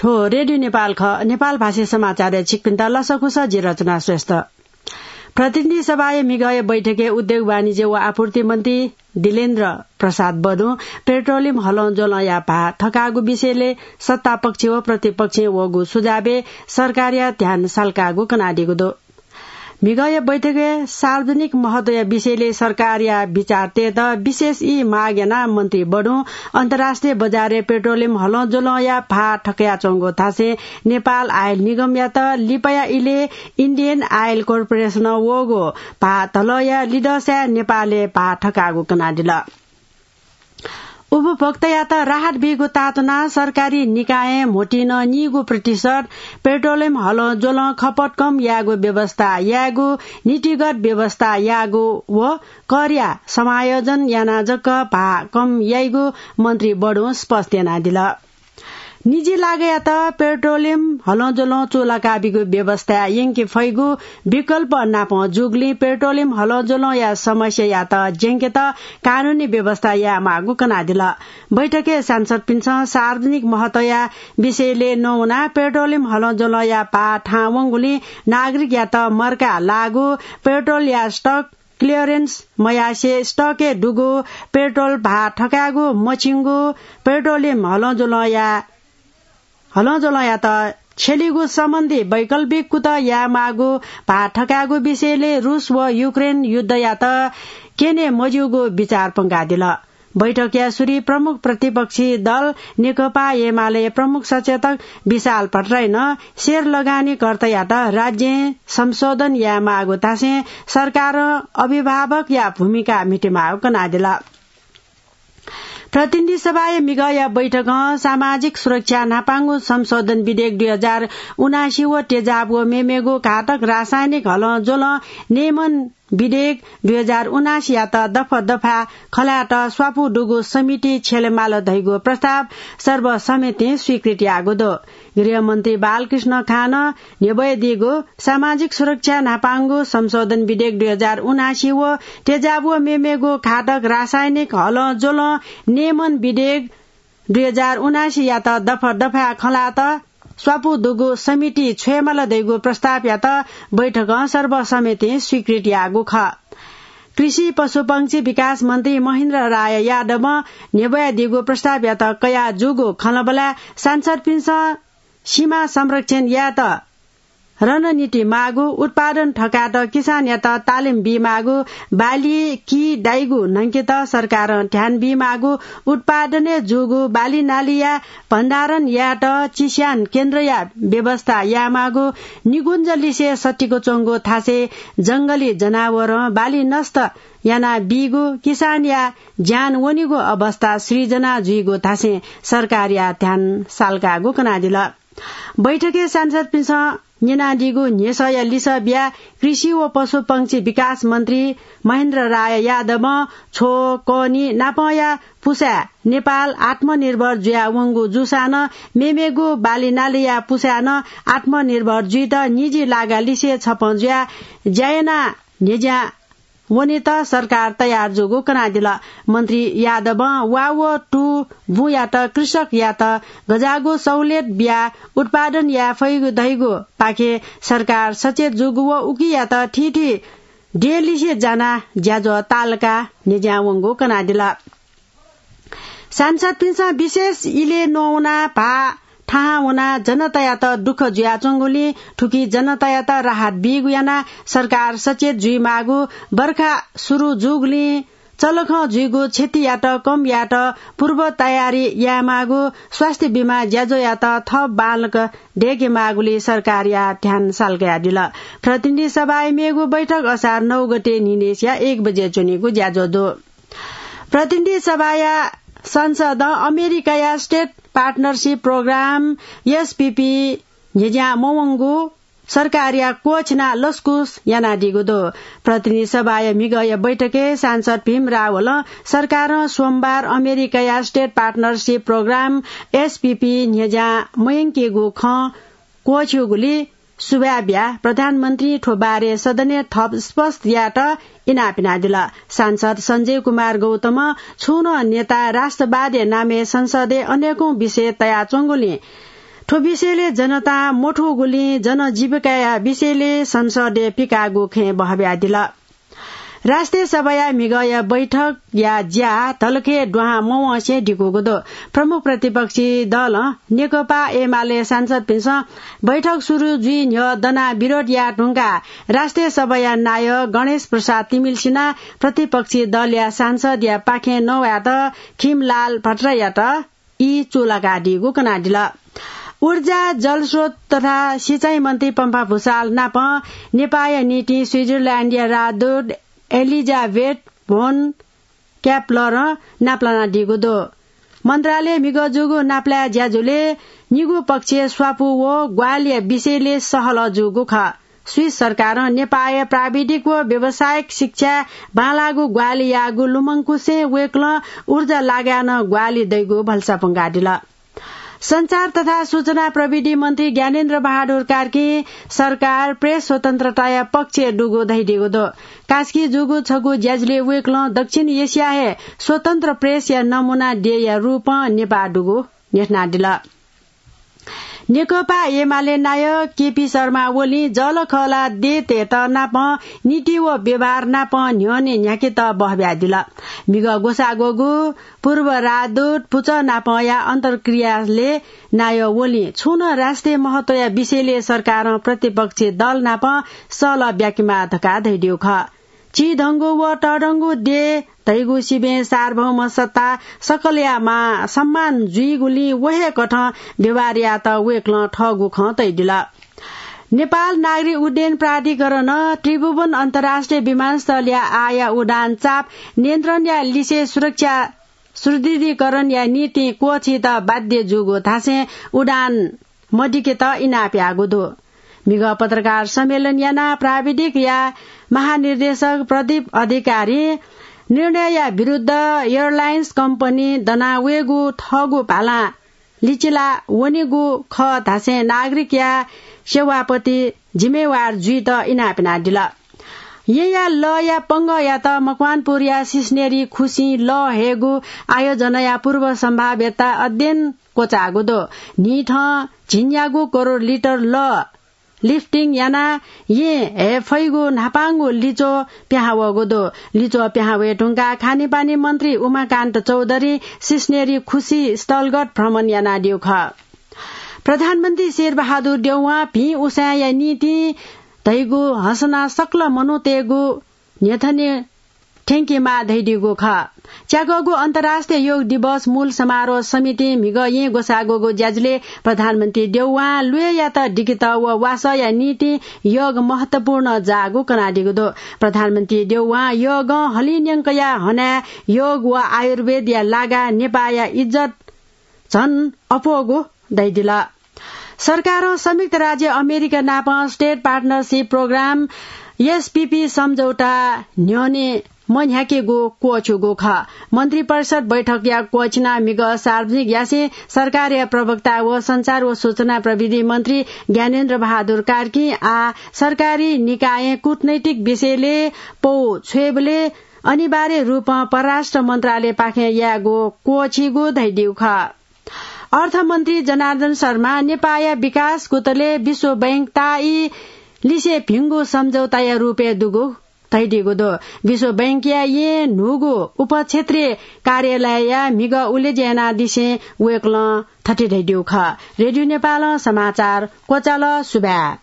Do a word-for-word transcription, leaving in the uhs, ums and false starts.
थ्व रेडियो नेपाल खः। नेपाल भाषी समाचारय् छिकपिन्त लसकुस, जि रचना श्रेष्ठ। प्रतिनिधि सभाया म्हिगःया बैठकय् उद्योग वाणिज्य व आपूर्ति मन्त्री दिलेन्द्र प्रसाद बडुं पेट्रोलियम हलंज्वलंया भाः थकाःगु विषयलय् सत्तापक्ष व प्रतिपक्षं वःगु सुझावय् सरकारया ध्यान साल्काःगु कनादीगु दु। म्हिगःया बैठकय् सार्वजनिक महत्वया विषयलय् सरकारया विचार तयेत विशेष ई माग यानाः मन्त्री बडुं अन्तर्राष्ट्रिय बजारय् पेट्रोलियम हलंज्वलंया भाः थकयाच्वंगु धासें नेपाल आयल निगमयात लिपाया इलय् इन्डियन आयल कर्पोरेसनं वःगु भाः धलःया लिधंसाय् नेपालय् भाः थकाःगु कनादिल। उपभोक्तायात राहत बीगु तातुनाः सरकारी निकायं म्होतिं नीगू प्रतिशत पेट्रोलियम हलंज्वलं खपत कम यायेगु व्यवस्था यायेगु, नीतिगत व्यवस्था यायेगु व करया समायोजन यानाः जक भाः कम याइगु मन्त्री बडुं स्पष्ट यानादिल। निजी लागयात पेट्रोलियम हलंज्वलं चूलाका बीगु व्यवस्था यंके फइगु विकल्प नापं जूगुलिं पेट्रोलियम हलंज्वलंया समस्यायात ज्यंकेत कानूनी व्यवस्था यायेमाःगु कनादिल। बैठकय् सांसदपिन्सं सार्वजनिक महत्वया विषयलय् नवानाः पेट्रोलियम हलंज्वलंया भाः थाहां वंगुलिं नागरिकयात मर्का लाःगु, पेट्रोलया स्टक क्लियरेन्स मयासें स्टकय् दुगु पेट्रोल भाः थकायेगु, मछिंगु पेट्रोलियम हलंज्वलंया हलंज्वलंयात छ्यलीगु सम्बन्धी वैकल्पिक कुतः यायेमाःगु भाः थकायेगु विषयलय् रूस व युक्रेन युद्धयात क्यने मज्यूगु विचार पंकादिल। बैठकया सुरुइ प्रमुख प्रतिपक्षी दल नेकपा एमाले प्रमुख सचेतक विशाल भट्टराईं सेयर लगानीकर्तायात राज्यं संशोधन यायेमाःगु धासें सरकारं अभिभावकया भूमिका म्हितेमाःगु कनादिल। प्रतिनिधि सभाया म्हिगःया बैठकं सामाजिक सुरक्षा न्हापांगु संशोधन विधेयक दुई हजार उनासी व तेजाब व मेमेगु घातक रासायनिक हलंज्वलं नियमन विधेयक दुई हजार उनासीयात दफा दफा खँल्हायेत स्वापू दुगु समिति छ्यलेमाल धइगु प्रस्ताव सर्वसम्मतिं स्वीकृत याःगु दु। गृहमन्त्री बालकृष्ण खानं न्ह्यब्वयादीगु सामाजिक सुरक्षा न्हापांगु संशोधन विधेयक दुई हजार उनासी व तेजाब व मेमेगु घातक रासायनिक हलंज्वलं नियमन विधेयक दुई हजार उनासीयात दफा दफा खँल्हायेत स्वापू दुगु समिति छ्वयेमाल धइगु प्रस्तावयात बैठकं सर्वसम्मतिं स्वीकृत याःगु खः। कृषि पशुपंक्षी विकास मन्त्री महेन्द्र राय यादवं न्ह्यब्वयादीगु प्रस्तावयात कयाः जूगु खँल्हाबल्हाय् सांसदपिन्सं सीमा संरक्षण यायेत रणनीति माःगु, उत्पादन थकायेत किसानयात तालिम बीमाःगु, बाली किदाइगु न्हंकेत सरकारं ध्यान बीमाःगु, उत्पादनय् जूगु बाली नालीया भण्डारण यायेत चिस्यान केन्द्रया व्यवस्था यायेमाःगु, निकुञ्जलिसे सतिक च्वंगु थासय् जंगली जनावरं बाली नष्ट यानाबीगु, किसानया ज्यान वनीगु अवस्था सृजना जुइगु धासें सरकारया ध्यान साल्काःगु कनादिल। बैठकय् सांसदपिन्सं न्यनादीगु न्ह्यसःया लिसः बियाः कृषि व पशुपंक्षी विकास मन्त्री महेन्द्र राय यादवं छ्व, कःनि नापंया पुसाय् नेपाल आत्मनिर्भर जुयावंगु जूसां नं मेमेगु बाली नालीया पुसाय् नं आत्मनिर्भर जुइत निजी लागा लिसे छपं जुयाः ज्या यानाः न्ह्यज्यां वनेत सरकार तयार जूगु कनादिल। मन्त्री यादवं वा व तू बुँयात कृषकयात गज्याःगु सहुलियत बियाः उत्पादन याये फइगु धइगु पाखे सरकार सचेत जूगु व उकियात थीथी देय्‌लिसे जानाः ज्याझ्वः तालकाः न्ह्यज्यां वंगु कनादिल। सांसदपिन्सं विशेष इलय् नवानाः भाः थाहां वनाः जनतायात दुःख जुयाच्वंगुलिं थुकी जनतायात राहत बीगु यानाः सरकार सचेत जुइमाःगु, बर्खा सुरु जूगुलिं चलखं जुइगु क्षतियात कम यायेत पूर्व तयारी यायेमाःगु, स्वास्थ्य बीमा ज्याझ्वःयात थप बांलाक दय्‌केमाःगुलिइ सरकारया ध्यान साल्कादिल। प्रतिनिधि सभाया मेगु बैठक असार नौ गते न्हिनय्‌सिया एक बजे च्वनीगु ज्याझ्वः दु। प्रतिनिधि सभाया संसदं अमेरिकाया स्टेट पार्टनरसिप प्रोग्राम, एसपीपी, न्ह्यज्यां मवंगु सरकारया क्वःछिनाः लसकुस यानादीगु दु। प्रतिनिधि सभाया म्हिगःया बैठकय् सांसद भीम रावलं सरकारं सोमबार अमेरिकाया स्टेट पार्टनरसिप प्रोग्राम, एसपीपी, न्ह्यज्यां मयंकेगु खँ क्वःछिउगुलिइ सुभाय् बियाः प्रधानमन्त्रीं थ्व बारे सदनय् थप स्पष्ट यायेत इनाप यानादिल। सांसद सञ्जय कुमार गौतमं छुं नं नेता राष्ट्रवादया नामय् संसदय् अनेकौं विषय तयाच्वंगुलिं थ्व विषयले जनतां मथूगुलिं जनजीविकाया विषयले संसदय् पिकाःगु खँय् बहब्यादिल। राष्ट्रिय सभाया म्हिगःया बैठकया ज्या धलखय् दुहां मवंसे दिकूगु दु। प्रमुख प्रतिपक्षी दलं नेकपा एमाले सांसदपिन्सं बैठक सुरु जुइ न्ह्यः दनाः विरोध याये धुंकाः राष्ट्रिय सभाया नायः गणेश प्रसाद तिमिल्सिनां प्रतिपक्षी दलया सांसदया पाखें नवायेत खिमलाल भट्टराईयात ई चूलाकादीगु कनादिल। ऊर्जा, जलस्रोत तथा सिँचाइ मन्त्री पम्फा भुसाल नाप नेपाःया निंतिं स्विजरल्याण्डया राजदूत एलिजाबेथ भोन क्याप्लरं नापलानादीगु दु। मन्त्रालयय् म्हिगः जूगु नापलाये ज्याझ्वलय् निगू पक्षय् स्वापू व ग्वाहालिया विषयले सहलह जूगु खः। स्विस सरकारं नेपाःया प्राविधिक व व्यावसायिक शिक्षाय् बांलाःगु ग्वाहालि याःगु लुमंकुसें वय्कलं ऊर्जा लागाय् नं ग्वाहालि दइगु भलसा प्वंकादिल। सञ्चार तथा सूचना प्रविधि मन्त्री ज्ञानेन्द्र बहादुर कार्कीं सरकार प्रेस स्वतन्त्रताया पक्षय् दुगु धयादीगु दु। कास्की जूगु छगू ज्याझ्वलय् वय्कलं दक्षिण एसिया हे स्वतन्त्र प्रेसया नमूना देय्‌या रूपं नेपाः दुगु न्ह्यथनादिल। नेकपा एमाले नायः केपी शर्मा ओलीं जःलाखःला देय्‌तय्‌त नाप नीति व व्यवहार नाप न्ह्यःने न्ह्याकेत बहब्यादिल। म्हिगः ग्वसाः ग्वःगु पूर्व राजदूत पुचः नापया अन्तर्क्रियाले नायः ओलीं छुं नं राष्ट्रिय महत्वया विषयले सरकारं प्रतिपक्षी दल नाप सहलह ब्याकेमाः धकाः धयादीगु खः। चिधंगु व तःधंगु देय् धइगु सिबें सार्वभौम सत्ता सकलया मा सम्मान जुइगुलिं व हे कथं व्यवहार यायेत वय्कलं थःगु खँ तयादिल। नेपाल नागरिक उड्डयन प्राधिकरणं त्रिभुवन अन्तर्राष्ट्रिय विमानस्थलया आःया उडान चाप नियन्त्रणया लिसे सुरक्षा सुदृढीकरणया निंतिं क्वःछीत बाध्य जूगु धासें उडान मदिकेत इनाप याःगु दु। म्हिगः पत्रकार सम्मेलन यानाः प्राविधिकया महानिर्देशक प्रदीप अधिकारीं निर्णयया विरुद्ध एयरलाइन्स कम्पनी दना वयेगु थःगु भालां लिचिला वनेगु खः धासें नागरिकया सेवाप्रति जिम्मेवार जुइत इनाप यानादिल। येँया लःया पंगःयात मकवानपुरया सिस्नेरी खुसिं लः हयेगु आयोजनाया पूर्व सम्भाव्यता अध्ययन क्वचाःगु दु। न्हिथं झिंन्यागू करोड लिटर लः लिफ्टिङ यानाः येँ हये फइगु न्हापांगु लिच्वः पिहां वःगु दु। लिच्वः पिहां वये धुंकाः खानेपानी मन्त्री उमाकान्त चौधरीं सिस्नेरी खुसि स्थलगत भ्रमण यानादीगु खः। प्रधानमन्त्री शेरबहादुर देउवां भिं उसाँय्‌या निंतिं धइगु हँसना सकल मनूतय्‌गु न्ह्यथने थ्यंकेमाः धयादीगु खः। च्याकःगु अन्तर्राष्ट्रिय योग दिवस मूल समारोह समितिं म्हिगः येँ ग्वसाः ग्वःगु ज्याझ्वलय् प्रधानमन्त्री देउवां ल्वय्‌यात दिकेत व वासःया निंतिं योग महत्वपूर्ण जाःगु कनादीगु दु। प्रधानमन्त्री देउवां योगं हलिं न्यंकया हनाय् योग व आयुर्वेदया लागाय् नेपाःया इज्जत झन अप्वःगु धयादिल। सरकारं संयुक्त राज्य अमेरिका नाप State Partnership Program, एसपीपी, सम्झौता न्ह्यःने मन्ह्याकेगु क्वःछ्यूगु खः। मन्त्रिपरिषद बैठकया क्वःछिनाः म्हिगः सार्वजनिक यासें सरकारया प्रवक्ता व सञ्चार व सूचना प्रविधि मन्त्री ज्ञानेन्द्र बहादुर कार्कीं आः सरकारी निकायं कूटनैतिक विषयले पौ छ्वयेबलय् अनिवार्य रूपं परराष्ट्र मन्त्रालयपाखें यायेगु क्वःछीगु धयादीगु खः। अर्थमन्त्री जनार्दन शर्मां नेपाःया विकास गुतले विश्व बैंकताःई लिसे भिंगु सम्झौताया रूपय् दुगु धयादीगु दु। विश्व बैंकया येँ न्हूगु उपक्षेत्रीय कार्यालयया म्हिगः उलेज्या यानादिसें वय्कलं थथे धयादीगु खः। रेडियो नेपालं समाचार क्वचाल। सुभाय्।